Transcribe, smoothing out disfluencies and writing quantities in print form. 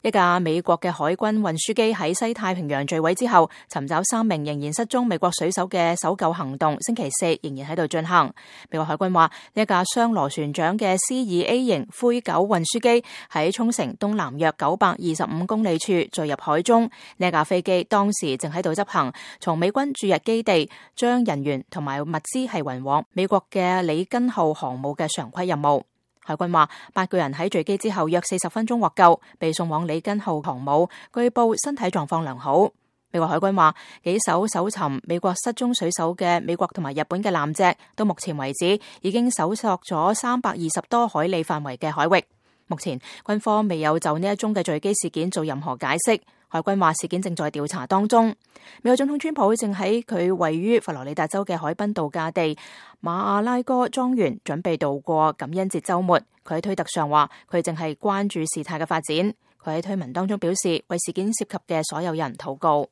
一架美國嘅海軍運輸機喺西太平洋墜毀之後，尋找3名仍然失蹤美國水手嘅搜救行動，星期4仍然喺度進行。美國海軍話，呢一架雙螺旋槳嘅 C2A 型灰狗運輸機喺沖繩東南約925公里處墜入海中。呢一架飛機當時正喺度執行從美軍駐日基地將人員同埋物資係運往美國嘅里根號航母嘅常規任務。海軍話，8個人喺墜機之後約40分鐘獲救，被送往里根號航母，據報身體狀況良好。美國海軍話，幾艘搜尋美國失蹤水手嘅美國同埋日本嘅艦隻，到目前為止已經搜索咗320多海里範圍嘅海域。目前軍方未有就呢一宗嘅墜機事件做任何解釋。海軍話事件正在調查當中。美國總統川普正喺佢位於佛羅里達州嘅海濱度假地馬阿拉戈莊園準備度過感恩節週末。佢喺推特上話，佢正係關注事態嘅發展。佢喺推文當中表示，為事件涉及嘅所有人禱告。